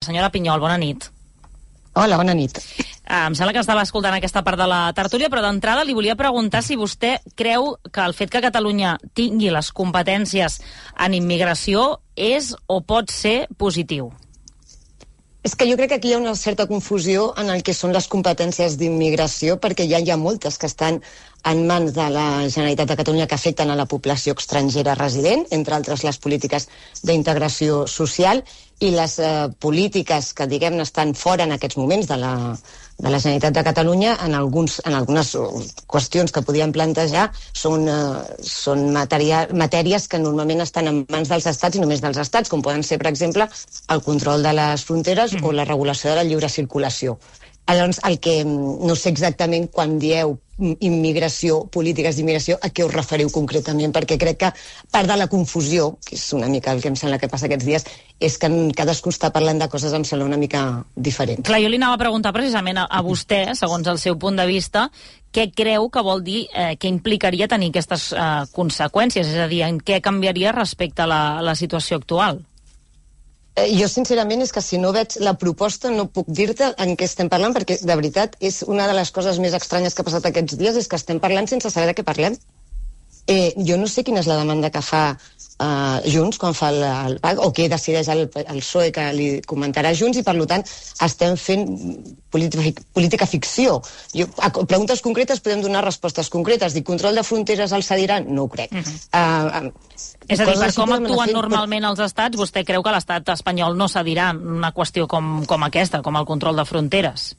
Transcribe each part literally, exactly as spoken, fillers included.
Senyora Pinyol, bona nit. Hola, bona nit. Uh, em sembla que estava escoltant aquesta part de la tertúlia, però d'entrada li volia preguntar si vostè creu que el fet que Catalunya tingui les competències en immigració és o pot ser positiu. És que jo crec que aquí hi ha una certa confusió en el que són les competències d'immigració, perquè ja hi ha moltes que estan en mans de la Generalitat de Catalunya que afecten a la població estrangera resident, entre altres les polítiques d'integració social, i les eh, polítiques que, diguem-ne, estan fora en aquests moments de la, de la Generalitat de Catalunya, en, alguns, en algunes qüestions que podíem plantejar, són, eh, són matèria, matèries que normalment estan en mans dels estats i només dels estats, com poden ser, per exemple, el control de les fronteres mm. o la regulació de la lliure circulació. Llavors, el que no sé exactament quan dieu immigració, polítiques d'immigració, a què us referiu concretament, perquè crec que part de la confusió, que és una mica el que em sembla que passa aquests dies, és que cadascú està parlant de coses, em sembla una mica diferent. Clar, jo li anava a preguntar precisament a, a vostè, segons el seu punt de vista, què creu que vol dir, eh, què implicaria tenir aquestes eh, conseqüències, és a dir, en què canviaria respecte a la, a la situació actual? Eh, jo, sincerament, és que si no veig la proposta no puc dir-te en què estem parlant, perquè, de veritat, és una de les coses més estranyes que ha passat aquests dies, és que estem parlant sense saber de què parlem. Eh, jo no sé quina és la demanda que fa eh, Junts quan fa el, el P A C, o què decideix el, el P S O E, que li comentarà Junts, i per tant estem fent política, política ficció. Jo, a preguntes concretes podem donar respostes concretes. Dir control de fronteres al cediran? No ho crec. Uh-huh. uh, uh, És a dir, per com actuen normalment els estats, vostè creu que l'estat espanyol no cedirà una qüestió com, com aquesta, com el control de fronteres?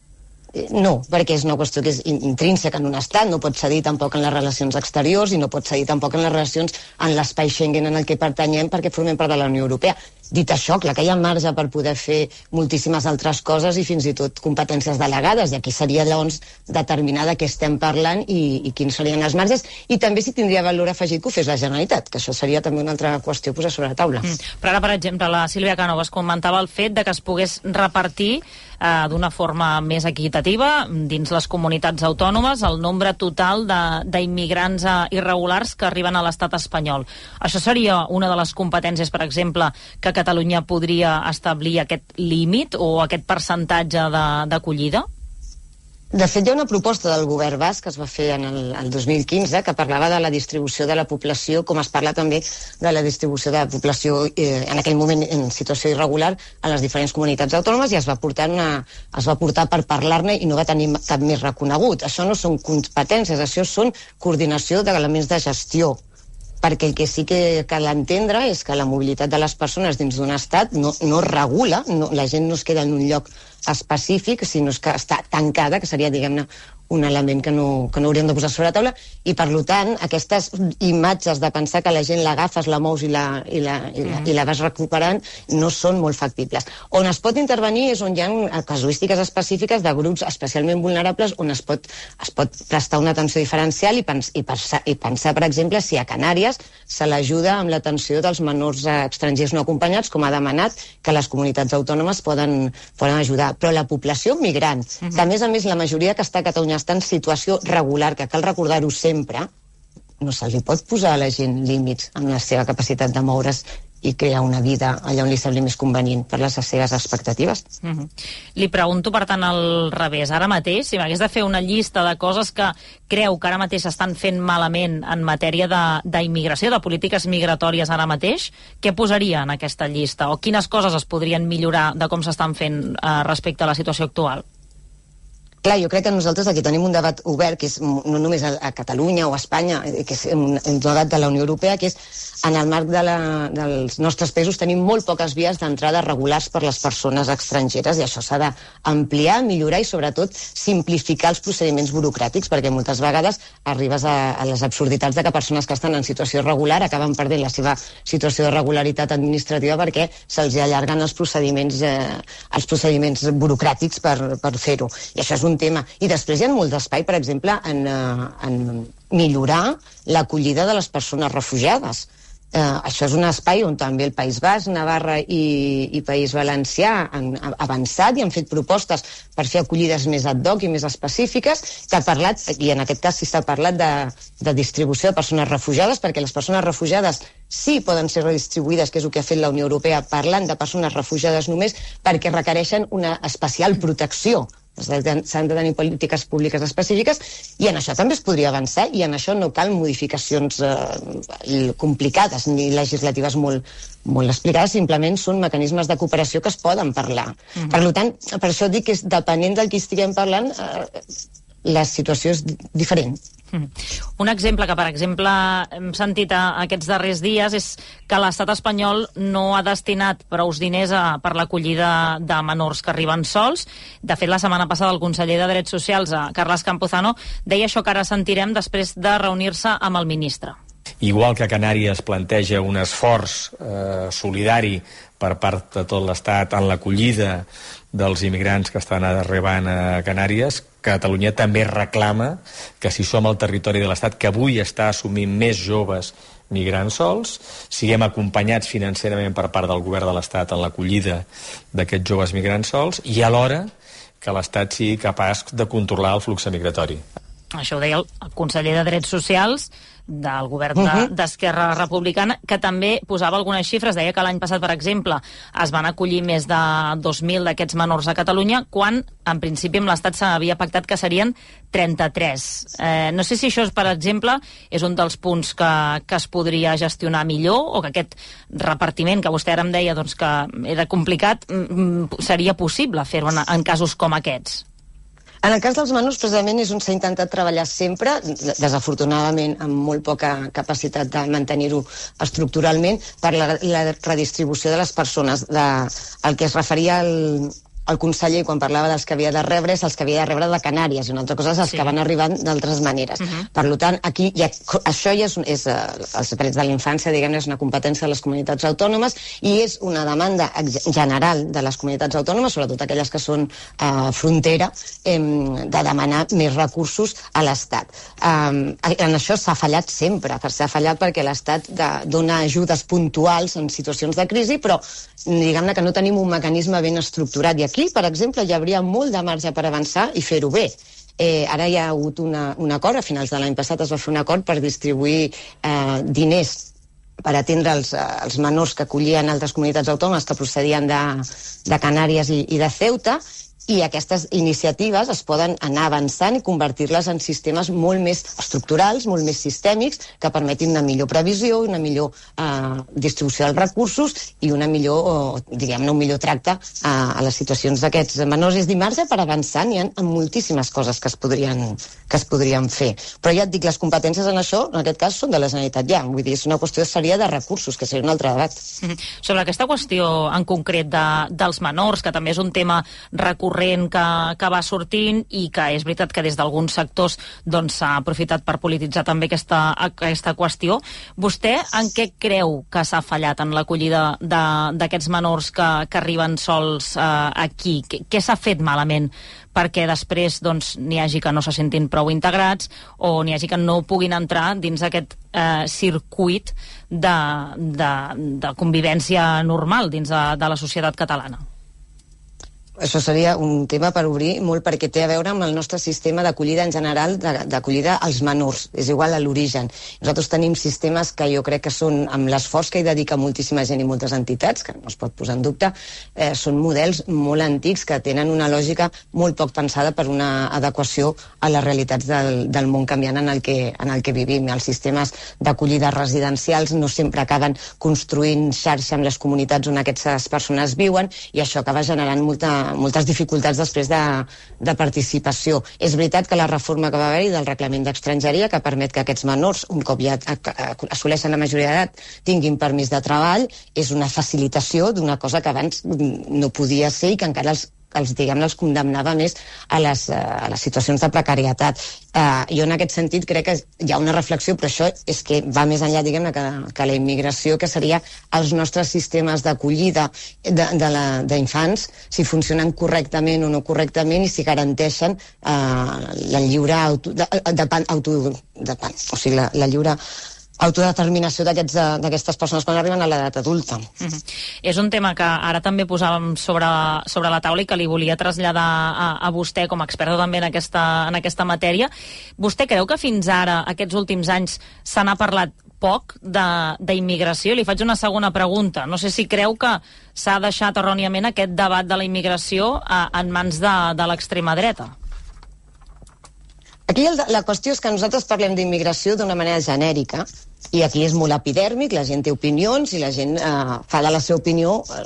No, perquè és una qüestió que és intrínseca en un estat, no pot cedir tampoc en les relacions exteriors i no pot cedir tampoc en les relacions en l'espai Schengen en el que pertanyem perquè formem part de la Unió Europea. Dit això, clar que hi ha marge per poder fer moltíssimes altres coses i fins i tot competències delegades, i aquí seria llavors determinar de què estem parlant i, i quins serien els marges, i també si tindria valor afegit que ho fes la Generalitat, que això seria també una altra qüestió a posar sobre la taula. Mm. Però ara, per exemple, la Sílvia Canovas comentava el fet de que es pogués repartir eh, d'una forma més equitativa dins les comunitats autònomes el nombre total d'immigrants eh, irregulars que arriben a l'estat espanyol. Això seria una de les competències, per exemple, que Catalunya podria establir aquest límit o aquest percentatge d'acollida? De, de fet, hi ha una proposta del govern basc que es va fer en el, el dos mil quinze que parlava de la distribució de la població, com es parla també de la distribució de la població eh, en aquell moment en situació irregular a les diferents comunitats autònomes, i es va portar, una, es va portar per parlar-ne i no va tenir cap més reconegut. Això no són competències, això són coordinació d'elements de gestió, perquè el que sí que cal entendre és que la mobilitat de les persones dins d'un estat no, no regula, no, la gent no es queda en un lloc específic, sinó que està tancada, que seria, diguem-ne, un element que no, que no hauríem de posar sobre la taula, i per tant aquestes imatges de pensar que la gent l'agafes, la mous i la, i, la, i, la, i la vas recuperant no són molt factibles. On es pot intervenir és on hi ha casuístiques específiques de grups especialment vulnerables, on es pot, es pot prestar una atenció diferencial i, pens, i, pensar, i pensar, per exemple, si a Canàries se l'ajuda amb l'atenció dels menors estrangers no acompanyats, com ha demanat, que les comunitats autònomes poden, poden ajudar. Però la població migrant, uh-huh. que a més a més la majoria que està a Catalunya està en situació regular, que cal recordar-ho sempre, no se li pot posar a la gent límits en la seva capacitat de moure's i crear una vida allà on li sembli més convenient per les seves expectatives. Uh-huh. Li pregunto, per tant, al revés. Ara mateix, si m'hagués de fer una llista de coses que creu que ara mateix s'estan fent malament en matèria d'immigració, de, de polítiques migratòries ara mateix, què posaria en aquesta llista? O quines coses es podrien millorar de com s'estan fent eh, respecte a la situació actual? Clar, jo crec que nosaltres aquí tenim un debat obert, que és no només a, a Catalunya o a Espanya, que és un, un debat de la Unió Europea, que és en el marc de la, dels nostres països tenim molt poques vies d'entrada regulars per les persones estrangeres, i això s'ha d'ampliar, millorar i sobretot simplificar els procediments burocràtics, perquè moltes vegades arribes a, a les absurditats de que persones que estan en situació irregular acaben perdent la seva situació de regularitat administrativa perquè se'ls allarguen els procediments, eh, els procediments burocràtics per, per fer-ho. I això és un tema. I després hi ha molt d'espai, per exemple, en, en millorar l'acollida de les persones refugiades. Eh, això és un espai on també el País Basc, Navarra i, i País Valencià han avançat i han fet propostes per fer acollides més ad hoc i més específiques, que ha parlat, i en aquest cas sí s'ha parlat de, de distribució de persones refugiades, perquè les persones refugiades sí poden ser redistribuïdes, que és el que ha fet la Unió Europea, parlant de persones refugiades només, perquè requereixen una especial protecció. S'han de tenir polítiques públiques específiques i en això també es podria avançar i en això no cal modificacions eh, complicades ni legislatives molt, molt explicades, simplement són mecanismes de cooperació que es poden parlar. Mm-hmm. Per tant, per això dic que és, depenent del que estiguem parlant, eh, la situació és diferent. Un exemple que, per exemple, hem sentit aquests darrers dies és que l'estat espanyol no ha destinat prous diners a, per l'acollida de menors que arriben sols. De fet, la setmana passada el conseller de Drets Socials, Carles Campuzano, deia això que ara sentirem després de reunir-se amb el ministre. Igual que Canàries planteja un esforç eh, solidari per part de tot l'Estat en l'acollida dels immigrants que estan arribant a Canàries, Catalunya també reclama que si som el territori de l'Estat que avui està assumint més joves migrants sols, siguem acompanyats financerament per part del govern de l'Estat en l'acollida d'aquests joves migrants sols i alhora que l'Estat sigui capaç de controlar el flux migratori. Això ho deia el conseller de Drets Socials del govern uh-huh. d'Esquerra Republicana, que també posava algunes xifres. Deia que l'any passat, per exemple, es van acollir més de dos mil d'aquests menors a Catalunya, quan, en principi, amb l'Estat s'havia pactat que serien trenta-tres. Eh, no sé si això, per exemple, és un dels punts que, que es podria gestionar millor, o que aquest repartiment que vostè ara em deia doncs, que era complicat, seria possible fer-ho en, en casos com aquests. En el cas dels menors, precisament, és on s'ha intentat treballar sempre, desafortunadament amb molt poca capacitat de mantenir-ho estructuralment, per la, la redistribució de les persones. De, el que es referia al... el conseller, quan parlava dels que havia de rebre, és els que havia de rebre de Canàries, i una altra cosa és els sí. que van arribant d'altres maneres. Uh-huh. Per tant, aquí ja, això ja és, és uh, els drets de la infància, diguem-ne, és una competència de les comunitats autònomes i és una demanda general de les comunitats autònomes, sobretot aquelles que són uh, frontera, eh, de demanar més recursos a l'Estat. Um, en això s'ha fallat sempre, s'ha fallat perquè l'Estat dona ajudes puntuals en situacions de crisi, però diguem-ne que no tenim un mecanisme ben estructurat. I aquí, per exemple, hi hauria molt de marge per avançar i fer-ho bé. Eh, ara hi ha hagut una, un acord, a finals de l'any passat es va fer un acord per distribuir eh, diners per atendre els, els menors que acollien altres comunitats autònomes que procedien de, de Canàries i, i de Ceuta, i aquestes iniciatives es poden anar avançant i convertir-les en sistemes molt més estructurals, molt més sistèmics, que permetin una millor previsió, una millor eh, distribució dels recursos i una millor, o, diguem-ne, un millor tracte eh, a les situacions d'aquests menors. És dir, marge per avançar, n'hi ha moltíssimes coses que es podrien, que es podrien fer. Però ja et dic, les competències en això, en aquest cas, són de la Generalitat ja. Vull dir, és una qüestió seria de recursos, que seria un altre debat. Mm-hmm. Sobre aquesta qüestió en concret de, dels menors, que també és un tema recurrent que, que va sortint i que és veritat que des d'alguns sectors doncs, s'ha aprofitat per polititzar també aquesta, aquesta qüestió. Vostè en què creu que s'ha fallat en l'acollida d'aquests menors que, que arriben sols eh, aquí? Què, què s'ha fet malament perquè després doncs, n'hi hagi que no se sentin prou integrats o n'hi hagi que no puguin entrar dins aquest eh, circuit de, de, de convivència normal dins de, de la societat catalana? Això seria un tema per obrir molt, perquè té a veure amb el nostre sistema d'acollida en general, d'acollida als menors. És igual a l'origen. Nosaltres tenim sistemes que jo crec que són, amb l'esforç que hi dedica moltíssima gent i moltes entitats, que no es pot posar en dubte, eh, són models molt antics que tenen una lògica molt poc pensada per una adequació a les realitats del, del món canviant en el que, en el que vivim. Els sistemes d'acollida residencials no sempre acaben construint xarxa amb les comunitats on aquestes persones viuen i això acaba generant molta moltes dificultats després de, de participació. És veritat que la reforma que va haver-hi del reglament d'estrangeria, que permet que aquests menors, un cop ja assoleixen la majoria d'edat, tinguin permís de treball, és una facilitació d'una cosa que abans no podia ser i que encara els els, diguem, els condemnava més a les, a les situacions de precarietat. Uh, jo en aquest sentit crec que hi ha una reflexió, però això és que va més enllà, diguem-ne, que, que la immigració, que seria els nostres sistemes d'acollida d'infants, si funcionen correctament o no correctament i si garanteixen uh, la lliure auto, de, de, auto, de, o sigui, la, la lliure autodeterminació d'aquestes persones quan arriben a l'edat adulta. Mm-hmm. És un tema que ara també posàvem sobre, sobre la taula i que li volia traslladar a, a vostè com a experta també en aquesta, en aquesta matèria. Vostè creu que fins ara, aquests últims anys, se n'ha parlat poc d'immigració? Li faig una segona pregunta. No sé si creu que s'ha deixat erròniament aquest debat de la immigració a, en mans de, de l'extrema dreta. Aquí el, la qüestió és que nosaltres parlem d'immigració d'una manera genèrica i aquí és molt epidèrmic, la gent té opinions i la gent eh, fa de la seva opinió eh,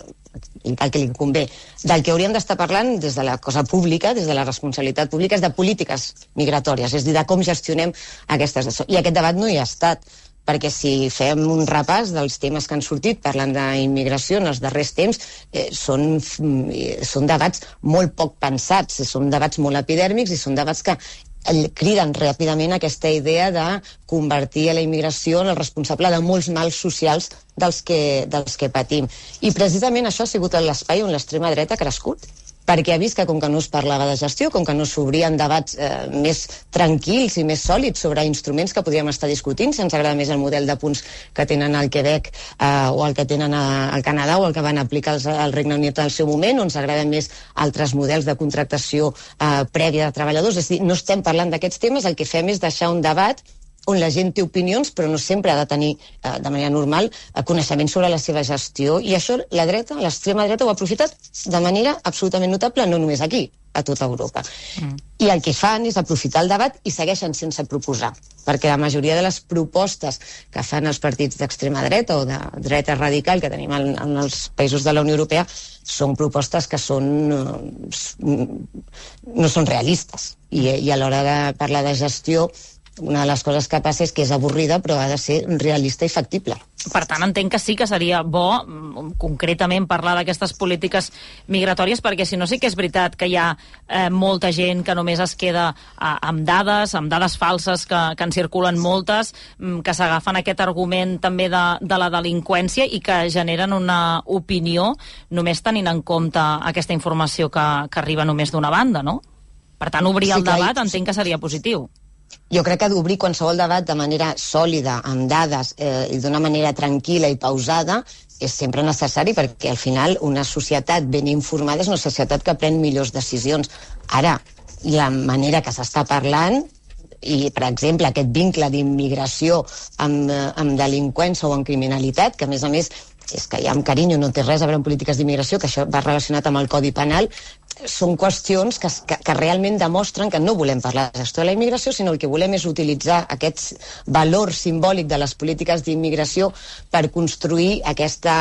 el que li convé. Del que hauríem d'estar parlant des de la cosa pública, des de la responsabilitat pública, és de polítiques migratòries, és a dir, de com gestionem aquestes... I aquest debat no hi ha estat, perquè si fem un repàs dels temes que han sortit parlant d'immigració en els darrers temps, eh, són, són debats molt poc pensats, són debats molt epidèrmics i són debats que criden ràpidament aquesta idea de convertir a la immigració en el responsable de molts mals socials dels que, dels que patim. I precisament això ha sigut l'espai on l'extrema dreta ha crescut, perquè ha vist que com que no es parlava de gestió, com que no s'obrien debats eh, més tranquils i més sòlids sobre instruments que podríem estar discutint, si ens agrada més el model de punts que tenen al Quebec eh, o el que tenen a, al Canadà o el que van aplicar els, al Regne Unit al seu moment, o ens agraden més altres models de contractació eh, prèvia de treballadors. És a dir, no estem parlant d'aquests temes, el que fem és deixar un debat on la gent té opinions, però no sempre ha de tenir, eh, de manera normal, eh, coneixement sobre la seva gestió. I això la dreta, l'extrema dreta, ho ha aprofitat de manera absolutament notable, no només aquí, a tota Europa. Mm. I el que fan és aprofitar el debat i segueixen sense proposar, perquè la majoria de les propostes que fan els partits d'extrema dreta o de dreta radical que tenim en, en els països de la Unió Europea són propostes que són, eh, no són realistes. I, i a l'hora de parlar de gestió, una de les coses que passa és que és avorrida, però ha de ser realista i factible. Per tant, entenc que sí que seria bo, concretament, parlar d'aquestes polítiques migratòries, perquè si no sí que és veritat que hi ha eh, molta gent que només es queda eh, amb dades, amb dades falses, que, que en circulen moltes, que s'agafen aquest argument també de, de la delinqüència i que generen una opinió només tenint en compte aquesta informació que, que arriba només d'una banda, no? Per tant, obrir el debat entenc que seria positiu. Jo crec que d'obrir qualsevol debat de manera sòlida, amb dades eh, i d'una manera tranquil·la i pausada és sempre necessari, perquè al final una societat ben informada és una societat que pren millors decisions. Ara, la manera que s'està parlant i, per exemple, aquest vincle d'immigració amb, amb delinqüència o amb criminalitat, que a més a més és que ja amb carinyo no té res a veure amb polítiques d'immigració, que això va relacionat amb el Codi Penal, són qüestions que, que, que realment demostren que no volem parlar de gestió de la immigració, sinó el que volem és utilitzar aquest valor simbòlic de les polítiques d'immigració per construir aquesta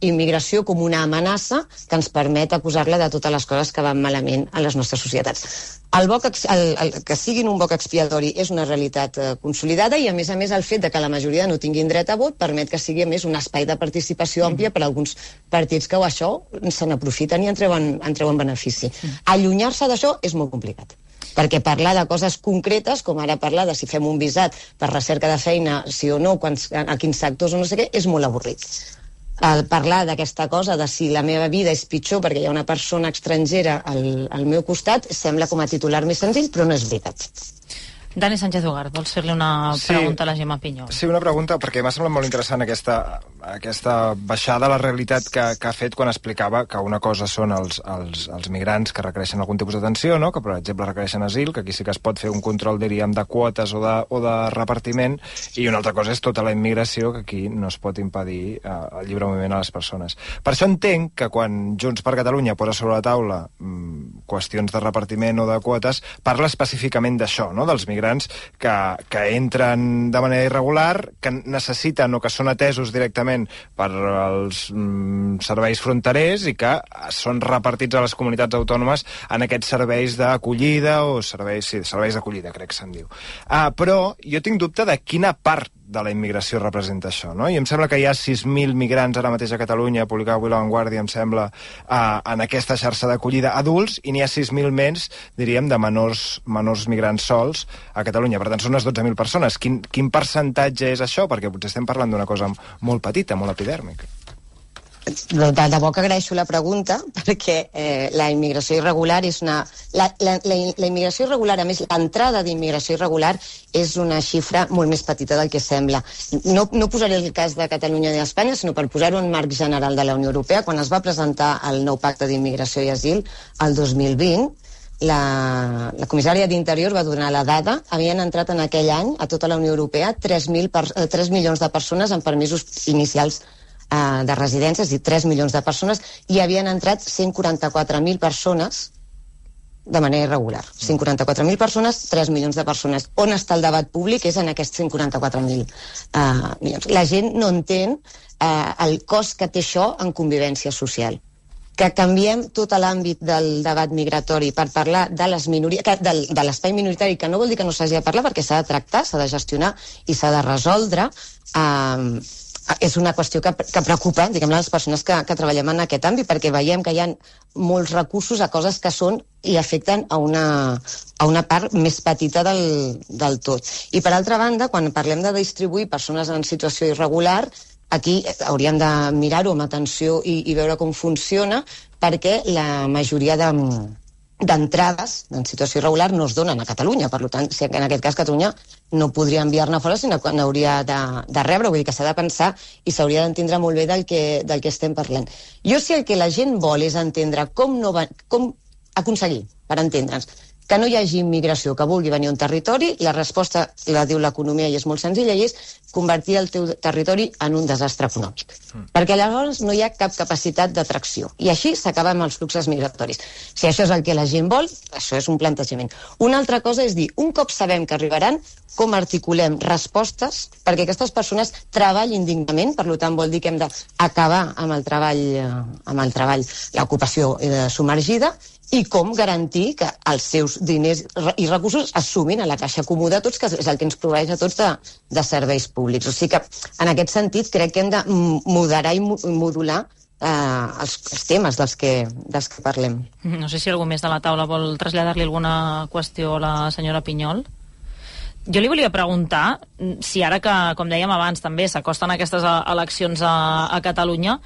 immigració com una amenaça que ens permet acusar-la de totes les coses que van malament a les nostres societats. El, boc, el, el, que siguin un boc expiatori és una realitat eh, consolidada i, a més a més, el fet de que la majoria no tinguin dret a vot permet que sigui, a més, un espai de participació àmplia per a alguns partits que això se n'aprofiten i en treuen, en treuen benefici. Allunyar-se d'això és molt complicat, perquè parlar de coses concretes, com ara parlar de si fem un visat per recerca de feina, sí o no, quants, a quins sectors o no sé què, és molt avorrit. El parlar d'aquesta cosa de si la meva vida és pitjor perquè hi ha una persona estrangera al, al meu costat sembla com a titular més senzill, però no és veritat. Dani Sánchez Ugart, vols fer-li una sí, pregunta a la Gemma Pinyol? Sí, una pregunta, perquè m'ha semblat molt interessant aquesta, aquesta baixada a la realitat que, que ha fet quan explicava que una cosa són els, els, els migrants que requereixen algun tipus d'atenció, no? Que per exemple requereixen asil, que aquí sí que es pot fer un control, diríem, de quotes o de, o de repartiment, i una altra cosa és tota la immigració, que aquí no es pot impedir eh, el lliure moviment a les persones. Per això entenc que quan Junts per Catalunya posa sobre la taula mmm, qüestions de repartiment o de quotes, parla específicament d'això, no? Dels migrants que, que entren de manera irregular, que necessiten o que són atesos directament per als mm, serveis fronterers i que són repartits a les comunitats autònomes en aquests serveis d'acollida o serveis, sí, serveis d'acollida, crec que se'n diu. Uh, però jo tinc dubte de quina part de la immigració representa això, no? I em sembla que hi ha sis mil migrants ara mateix a Catalunya, publicava avui La Vanguardia, em sembla, eh, en aquesta xarxa d'acollida adults, i n'hi ha sis mil menys, diríem, de menors, menors migrants sols a Catalunya. Per tant, són unes dotze mil persones. Quin, quin percentatge és això? Perquè potser estem parlant d'una cosa molt petita, molt epidèrmica. de debò que agraeixo la pregunta, perquè eh, la immigració irregular és una... La, la, la, la immigració irregular, a més, l'entrada d'immigració irregular és una xifra molt més petita del que sembla. No, no posaré el cas de Catalunya i d'Espanya, sinó per posar-ho en marc general de la Unió Europea. Quan es va presentar el nou pacte d'immigració i asil, el dos mil vint, la, la comissària d'Interior va donar la dada, havien entrat en aquell any a tota la Unió Europea tres milions de persones amb permisos inicials de residències, i tres milions de persones, i havien entrat cent quaranta-quatre mil persones de manera irregular. cent quaranta-quatre mil persones, tres milions de persones. On està el debat públic? És en aquests cent quaranta-quatre mil uh, milions. La gent no entén uh, el cost que té això en convivència social. Que canviem tot l'àmbit del debat migratori per parlar de les minories, de, de l'espai minoritari, que no vol dir que no s'hagi de parlar, perquè s'ha de tractar, s'ha de gestionar i s'ha de resoldre. Uh, és una qüestió que, que preocupa, diguem, les persones que, que treballem en aquest àmbit, perquè veiem que hi ha molts recursos a coses que són i afecten a una, a una part més petita del, del tot. I per altra banda, quan parlem de distribuir persones en situació irregular, aquí hauríem de mirar-ho amb atenció i, i veure com funciona, perquè la majoria de d'entrades en situació irregular no es donen a Catalunya. Per tant, si en aquest cas Catalunya no podria enviar-ne fora, sinó que n'hauria de, de rebre. Vull dir que s'ha de pensar i s'hauria d'entendre molt bé del que, del que estem parlant. Jo, si el que la gent vol és entendre com, no va, com aconseguir, per entendre'ns, que no hi hagi immigració que vulgui venir a un territori, la resposta la diu l'economia i és molt senzilla, i és convertir el teu territori en un desastre econòmic. Mm. Perquè llavors no hi ha cap capacitat d'atracció. I així s'acaba amb els fluxos migratoris. Si això és el que la gent vol, això és un plantejament. Una altra cosa és dir, un cop sabem que arribaran, com articulem respostes perquè aquestes persones treballin dignament, per tant vol dir que hem d'acabar amb el treball, amb el treball, l'ocupació submergida, i com garantir que els seus diners i recursos es sumin a la caixa comú de tots, que és el que ens proveeix a tots de, de serveis públics. O sigui que, en aquest sentit, crec que hem de moderar i modular eh, els, els temes dels que, dels que parlem. No sé si algú més de la taula vol traslladar-li alguna qüestió a la senyora Pinyol. Jo li volia preguntar si ara que, com dèiem abans, també s'acosten aquestes eleccions a, a Catalunya,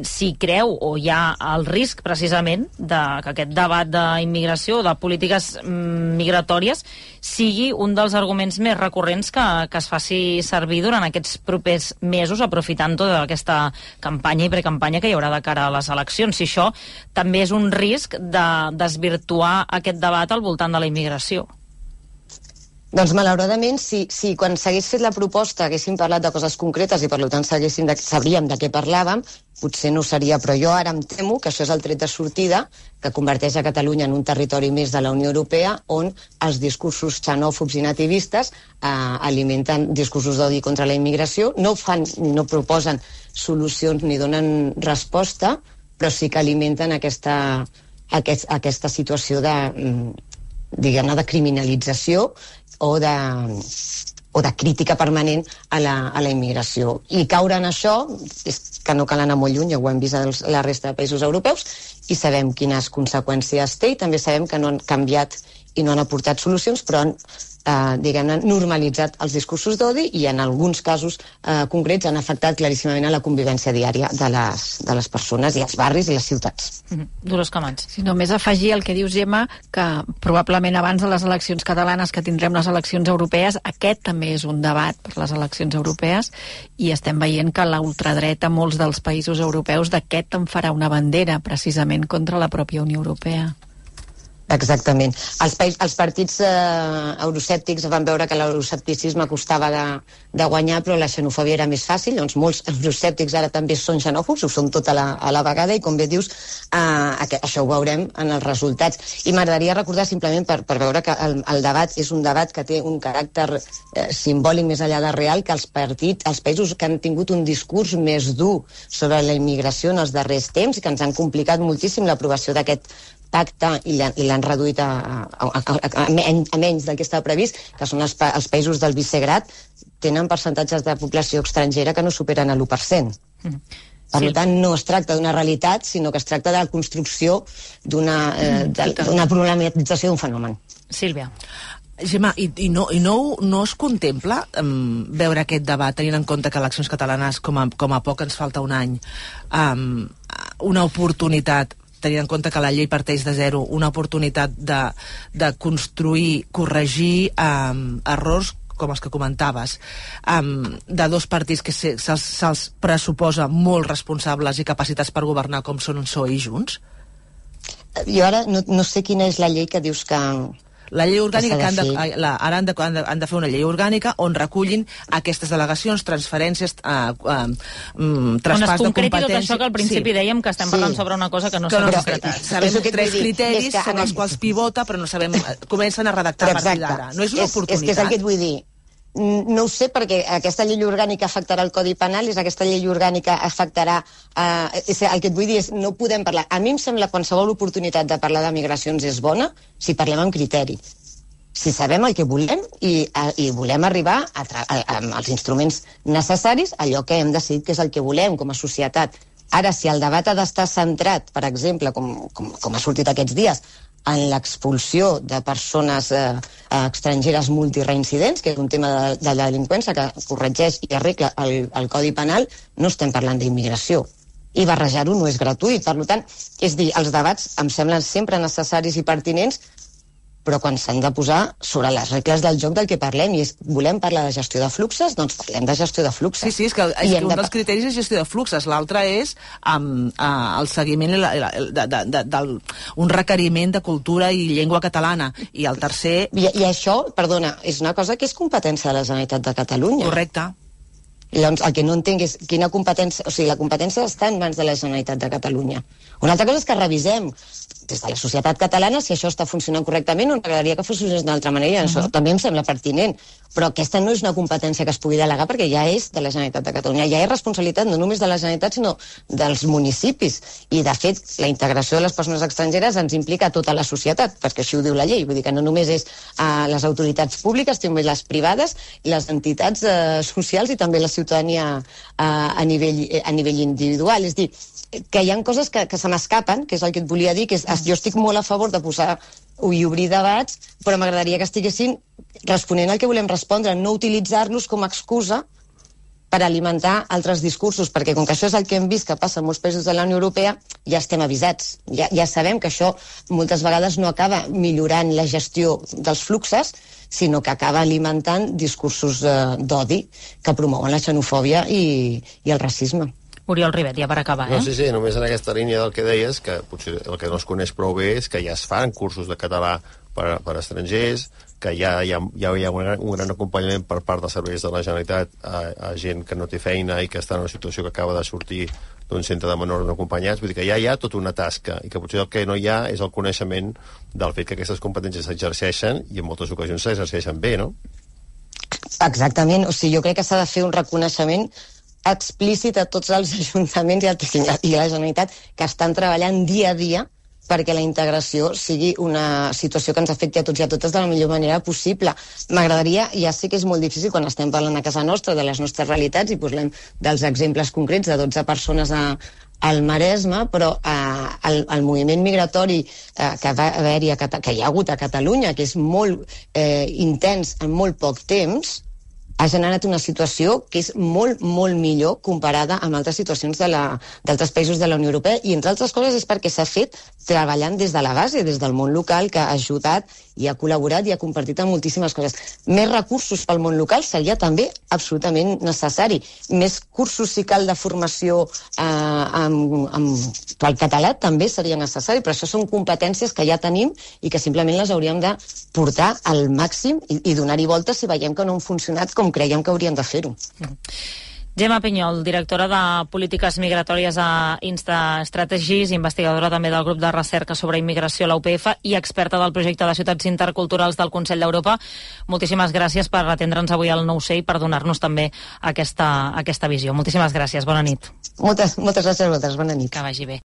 si creu o hi ha el risc precisament de que aquest debat d'immigració, de polítiques migratòries, sigui un dels arguments més recurrents que, que es faci servir durant aquests propers mesos, aprofitant tota aquesta campanya i precampanya que hi haurà de cara a les eleccions. Si això també és un risc de desvirtuar aquest debat al voltant de la immigració. Doncs malauradament, si, si quan s'hagués fet la proposta haguéssim parlat de coses concretes i per tant de, sabríem de què parlàvem, potser no seria, però jo ara em temo que això és el tret de sortida que converteix a Catalunya en un territori més de la Unió Europea on els discursos xenòfobs i nativistes eh, alimenten discursos d'odi contra la immigració, no fan, no proposen solucions ni donen resposta, però sí que alimenten aquesta, aquest, aquesta situació de, diguem-ne, de criminalització o de, o de crítica permanent a la, a la immigració. I caure en això és que no cal anar molt lluny, ja ho hem vist a la resta de països europeus, i sabem quines conseqüències té, i també sabem que no han canviat i no han aportat solucions, però han eh, diguem-ne, normalitzat els discursos d'odi i en alguns casos eh, concrets han afectat claríssimament a la convivència diària de les, de les persones i els barris i les ciutats. Mm-hmm. Dolors Camats. Si només afegir el que dius, Gemma, que probablement abans de les eleccions catalanes que tindrem les eleccions europees, aquest també és un debat per les eleccions europees i estem veient que la ultradreta, molts dels països europeus, d'aquest en farà una bandera precisament contra la pròpia Unió Europea. Exactament. Els, païs, els partits eh, euroscèptics van veure que l'euroscepticisme costava de, de guanyar, però la xenofòbia era més fàcil. Doncs molts euroscèptics ara també són xenòfobs, ho són tot a la, a la vegada, i com bé dius, eh, això ho veurem en els resultats. I m'agradaria recordar simplement per, per veure que el, el debat és un debat que té un caràcter eh, simbòlic més enllà de real, que els partits, els països que han tingut un discurs més dur sobre la immigració en els darrers temps i que ens han complicat moltíssim l'aprovació d'aquest pacte i l'han reduït a, a, a, a, a menys del que estava previst, que són els, pa, els països del Visegrad, tenen percentatges de població estrangera que no superen l'u per cent. Mm. Per sí. tant, no es tracta d'una realitat, sinó que es tracta de la construcció d'una eh, problematització d'un fenomen. Sílvia. Gemma, i, i, no, i no, no es contempla um, veure aquest debat, tenint en compte que eleccions catalanes, com a, com a poc ens falta un any, um, una oportunitat, tenint en compte que la llei parteix de zero, una oportunitat de, de construir, corregir um, errors com els que comentaves, um, de dos partits que se, se'ls, se'ls pressuposa molt responsables i capacitats per governar com són un P S O E i Junts? Jo ara no, no sé quina és la llei que dius que... La llei orgànica, que han de, la, ara han de, han, de, han de fer una llei orgànica on recullin aquestes delegacions, transferències, eh, eh, traspàs de competències... On es concreti tot això que al principi sí. dèiem que estem parlant sí. sobre una cosa que no s'ha concretat. Sabem tres criteris sobre els quals pivota, però no sabem... Comencen a redactar a partir d'ara. No és una és, oportunitat. És que és el que et vull dir. No ho sé, perquè aquesta llei orgànica afectarà el Codi Penal, és aquesta llei orgànica afectarà... Eh, el que et vull dir és, no podem parlar... A mi em sembla qualsevol oportunitat de parlar de migracions és bona si parlem amb criteri. Si sabem el que volem i, a, i volem arribar a a, a, amb els instruments necessaris, allò que hem decidit que és el que volem com a societat. Ara, si el debat ha d'estar centrat, per exemple, com, com, com ha sortit aquests dies, en l'expulsió de persones eh, estrangeres multireincidents, que és un tema de, de la delinqüència que corregeix i arregla el, el Codi Penal, no estem parlant d'immigració. I barrejar-ho no és gratuït. Per tant, és dir, els debats em semblen sempre necessaris i pertinents, però quan s'han de posar sobre les regles del joc del que parlem, i és, volem parlar de gestió de fluxes, doncs parlem de gestió de fluxes. Sí, sí, és que, és que un de... dels criteris és gestió de fluxes, l'altre és um, uh, el seguiment, la, la, de, de, de, de, un requeriment de cultura i llengua catalana, i el tercer... I, i això, perdona, és una cosa que és competència de la Generalitat de Catalunya. Correcte. I llavors, el que no entenc és quina competència... O sigui, la competència està en mans de la Generalitat de Catalunya. Una altra cosa és que revisem des de la societat catalana si això està funcionant correctament o m'agradaria que fos d'una altra manera. Uh -huh. Això també em sembla pertinent. Però aquesta no és una competència que es pugui delegar perquè ja és de la Generalitat de Catalunya. Ja és responsabilitat no només de la Generalitat, sinó dels municipis. I, de fet, la integració de les persones estrangeres ens implica a tota la societat, perquè així ho diu la llei. Vull dir que no només és a les autoritats públiques, també les privades, les entitats eh, socials i també la ciutadania eh, a, nivell, a nivell individual. És dir, que hi ha coses que, que se m'escapen, que és el que et volia dir, que és, jo estic molt a favor de posar i obrir debats, però m'agradaria que estiguessin responent al que volem respondre, no utilitzar-los com a excusa per alimentar altres discursos, perquè com que això és el que hem vist que passa en molts països de la Unió Europea, ja estem avisats. Ja, ja sabem que això moltes vegades no acaba millorant la gestió dels fluxes, sinó que acaba alimentant discursos eh, d'odi que promouen la xenofòbia i, i el racisme. Oriol Ribet, ja per acabar, eh? No, sí, sí, només en aquesta línia del que deies, que potser el que no es coneix prou bé és que ja es fan cursos de català per, per estrangers, que ja, ja, ja hi ha un gran, un gran acompanyament per part dels serveis de la Generalitat a, a gent que no té feina i que està en una situació que acaba de sortir d'un centre de menors no acompanyats. Vull dir que ja hi ha tota una tasca i que potser el que no hi ha és el coneixement del fet que aquestes competències s'exerceixen i en moltes ocasions s'exerceixen bé, no? Exactament. O sigui, jo crec que s'ha de fer un reconeixement explícit a tots els ajuntaments i a la Generalitat que estan treballant dia a dia perquè la integració sigui una situació que ens afecti a tots i a totes de la millor manera possible. M'agradaria, ja sé que és molt difícil quan estem parlant a casa nostra de les nostres realitats i parlem dels exemples concrets de dotze persones a, al Maresme, però eh, el, el moviment migratori eh, que, va haver-hi a, que hi ha hagut a Catalunya, que és molt eh, intens en molt poc temps, ha generat una situació que és molt, molt millor comparada amb altres situacions d'altres països de la Unió Europea, i entre altres coses és perquè s'ha fet treballant des de la base, des del món local, que ha ajudat i ha col·laborat i ha compartit amb moltíssimes coses. Més recursos pel món local seria també absolutament necessari. Més cursos, si cal, de formació eh, amb, amb, pel català també seria necessari, però això són competències que ja tenim i que simplement les hauríem de portar al màxim i, i donar-hi voltes si veiem que no han funcionat com creiem que haurien de fer-ho. Gemma Pinyol, directora de Polítiques Migratòries a Insta Strategies, investigadora també del grup de recerca sobre immigració a la U P F i experta del projecte de ciutats interculturals del Consell d'Europa. Moltíssimes gràcies per atendre'ns avui al nou C i per donar-nos també aquesta, aquesta visió. Moltíssimes gràcies, bona nit. Moltes, moltes gràcies a vosaltres, bona nit. Que vagi bé.